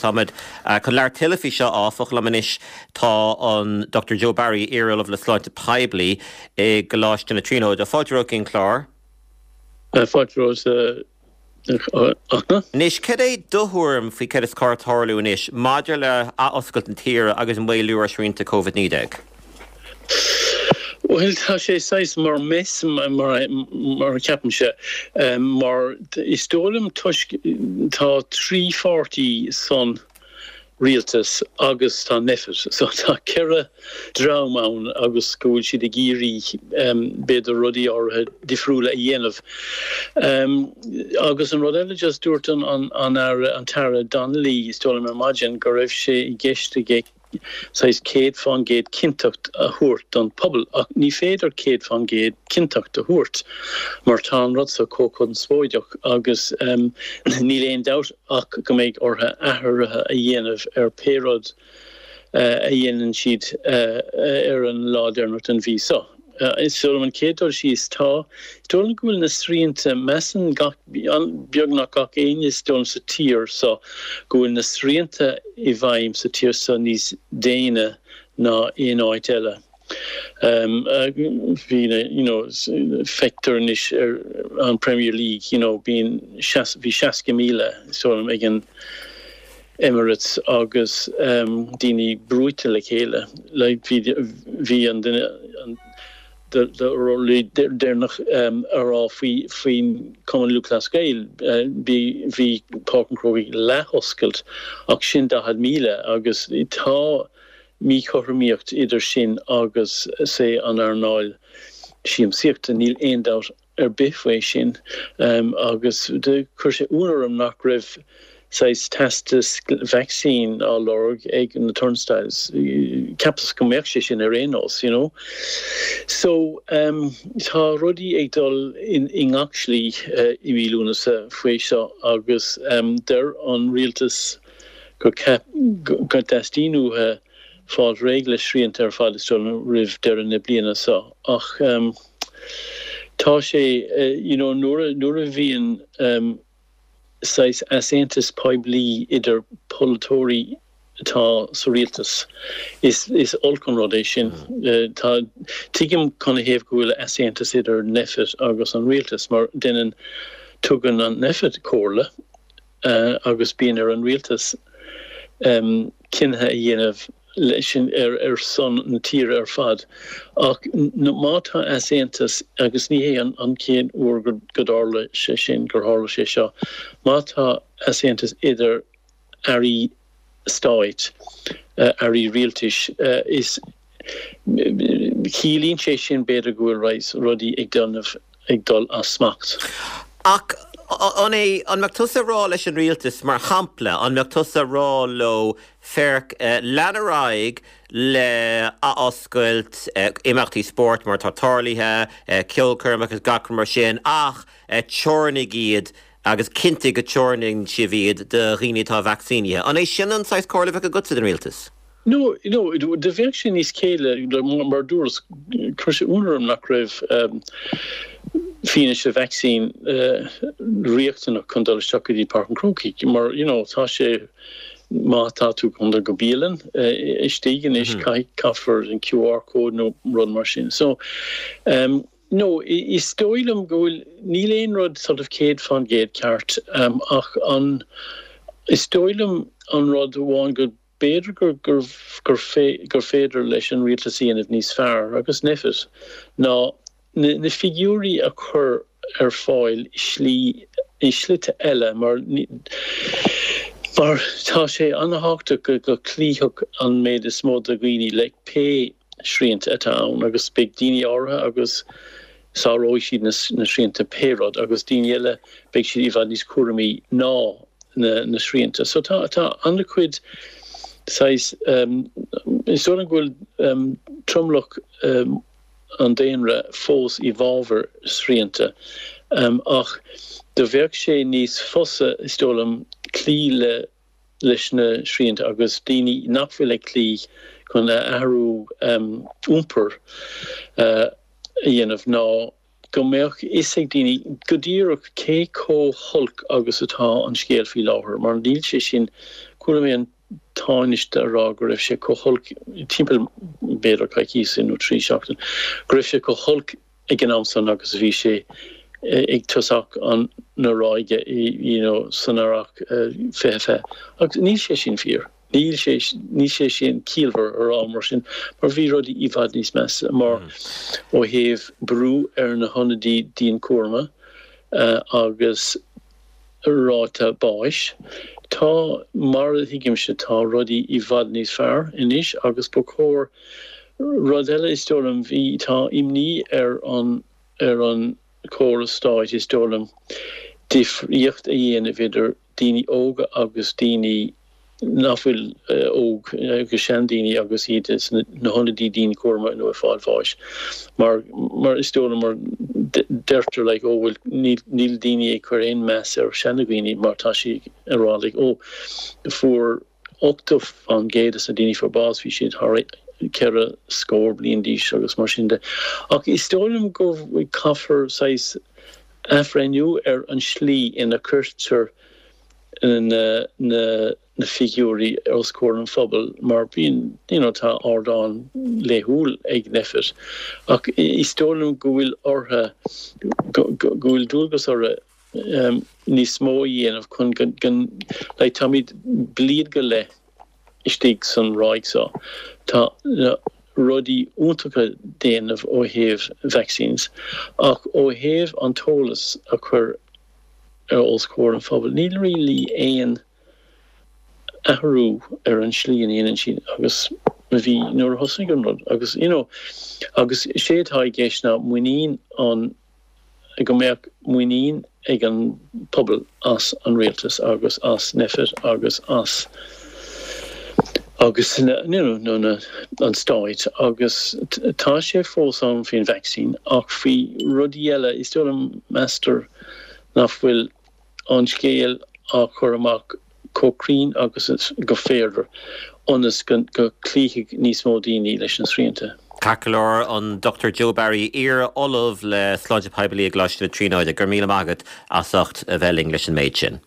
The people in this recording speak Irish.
Táimid chun labhairt tuilleadh faoi seo áfach. Liom anois tá an Dr Joe Barry, iar-Ollamh le Sláinte Poiblí i gColáiste na Tríonóide. Fáilte romhat go dtí an clár. Fáilte romhat a Fhachtna. Anois, cad é do thuairim faoi cad is cóir tarlú anois maidir le athoscailt na tíre agus maolú ar shrianta Covid-19? Bhuel, tá sé saghas mar mess, mar a cheapaimse, mar is dóigh liom toisc tá 3 pháirtí san rialtas agus tá Nphet, so tá 4 dream ann agus go bhfuil siad ag iarraidh b'fhéidir rudaí áirithe difriúla a dhéanamh. Agus an rud eile just dúirt an an Aire, an tAire Donnelly is dóigh liom ar maidin go raibh sé i gceist aige saghas 100% cinnteacht a thabhairt don phobal ach ní féidir 100% cinnteacht a thabhairt mar tá an rud seo chomh conspóideach agus níl aon dabht ach go mbeidh orthu athruithe a dhéanamh ar pé rud a dhéanann siad ar an lá deireanach den mhí seo. Is dóigh liom an chéad dul síos, tá, is dóigh liom go bhfuil na srianta, measann gach, beagnach gach éinne is dóigh liom sa tír seo go bhfuil na srianta i bhfeidhm sa tír seo níos déine ná aon áit eile. Bhí na, you know, feictear anois ar an Premier League, you know, bíonn, bhí 60,000 is dóigh liom ag an Emirates agus daoine brúite le chéile. Like bhí, bhí an duine, an deireanach a rá faoi, faoin Cumann Lúthchleas Gael, bhí, bhí Páirc an Chrócaigh leath-oscailt ach sin 40,000 agus tá míchothromaíocht idir sin agus say an earnáil siamsaíochta, níl aon dabht ar bith faoi sin agus chuir sé ionadh orm nach raibh saghas teastas vacsaín á lorg ag na turnstiles. Cheapas go mbeadh sé sin ar aon nós, you know. So tá rudaí ag dul i ngach slí i mí Lúnasa faoi seo agus deir an rialtas go dteastaíonn uathu fáil réidh le srianta ar fad is dóigh liom roimh deireadh na bliana seo ach tá sé you know nuair a nuair a bhíonn saghas easaontas poiblí idir polaiteoirí atá sa rialtas is is olc an rud é sin. Tá tuigim canathaobh go bhfuil easaontas idir Nphet agus an rialtas mar déanann tugann an Nphet comhairle agus bíonn ar an rialtas cinntí a dhéanamh leis sin ar son na tíre ar fad. Ach má tá easaontas, agus ní hé an chéad uair go dtarla sé sin, gur tharla sé seo, má tá easaontas idir airí stáit, airí rialtais, is ciallaíonn sé sin b'fhéidir go bhfuil roinnt rudaí ag déanamh, ag dul as smacht. Ach an é, an mbeadh tusa ag rá leis an rialtas, mar shampla, an mbeadh tusa ag rá leo, féach, lean ar aghaidh le athoscailt imeachtaí spóirt mar atá tarlaithe, ceolchoirmeacha agus gach rud mar sin, ach teorannaigh iad agus cinntigh go dteorannaíonn sibh iad do dhaoine atá vacsaínithe. An é sin an saghas comhairle a bheadh agatsa don rialtas? No, no, do bheadh sé níos céille, mar a dúras, chuir sé ionadh orm nach raibh fianaise vacsaín riachtanach chun dul isteach go dtí Páirc an Chrócaigh, mar, you know, tá sé, má tá tú chun dul go bialann istigh anois, caithfear an QR code nó rud mar sin. So, no, is dóigh liom go bhfuil, níl aon rud sort of 100% ceart, ach an, is dóigh liom an rud amháin go, B'fhéidir gur féidir leis an rialtas a dhéanamh níos fearr, agus Nphet, ná na figiúirí a chur ar fáil i slí, i slite eile mar mar tá sé an-thábhachtach go go cloífeadh an méid is mó de dhaoine le pé srianta atá ann agus beidh daoine áirithe agus sáróidh siad na srianta pé rud agus daoine eile beidh siad i bhfad níos cúramaí ná na srianta. So tá tá an-chuid saghas is dóigh liom go bhfuil tromlach an daonra fós i bhfabhar srianta ach do bheadh sé níos fusa is dóigh liom cloí le leis na srianta agus daoine nach bhfuil ag cloí chun athrú iompair a dhéanamh ná go mbeadh fhios ag daoine go díreach cé chomh holc agus atá an scéal faoi láthair, mar níl sé sin. Chuala mé an Tánaiste a rá go raibh sé chomh holc, timpeall b'fhéidir coicíos nó 3 seachtain, go raibh sé chomh holc ag an am san agus a bhí sé ag tosach an na ráige you know san earrach 2020. Agus níl sé sin fíor. Níl sé níl sé sin ciallmhar a rá mar sin mar bhí rudaí i bhfad níos measa mar ó thaobh brú ar na hionadaí dianchúraim agus ráta báis. Tá, mar a thuigimse, tá rudaí i bhfad níos fearr anois agus ba chóir, rud eile is dóigh liom, bhí, tá imní ar an, ar an chóras stáit is dóigh liom, difríocht a dhéanamh idir daoine óga agus daoine nach bhfuil óg agus seandaoine agus iad sna hionadaí dianchúraim nó ag fáil bháis mar mar is dóigh liom mar deirtear like oh bhuel níl níl daoine ag cur aon meas ar seanadhaoine mar tá sí ag rá like oh fuair 80% de na daoine fuair bás bhí siad thar ceithre scór bliain d'aois agus mar sin de ach is dóigh liom go caithfear saghas athbhreithniú ar an slí ina cuirtear na na figiúirí os comhair an phobail mar bíonn you know tá ardán laethúil ag Nphet ach is dóigh liom go bhfuil orthu go go bhfuil dualgas orthu níos mó a dhéanamh chun go go like táimid bliain go leith istigh san ráig seo tá na rudaí iontacha déanamh ó thaobh vaccines ach ó thaobh an t-eolas a chur os comhair an phobail. Níl really aon athrú ar an slí a ndéanann siad agus a bhí nuair a thosaigh an rud agus you know agus sé atá i gceist ná muinín an go mbeadh muinín ag an pobal as an rialtas agus as Nphet agus as agus na you know na an stáit agus tá sé fós ann faoin vacsaín ach faoi rudaí eile is dóigh liom meastar nach bhfuil an scéal á chur amach chomh cruinn agus is go féidir ionas go gcloífidh níos mó daoine leis na srianta. Ceart go leor, an Dr Joe Barry, iar-Ollamh le Sláinte Poiblí i gColáiste na Tríonóide, go raibh míle maith agat as ucht a bheith linn leis an méid sin.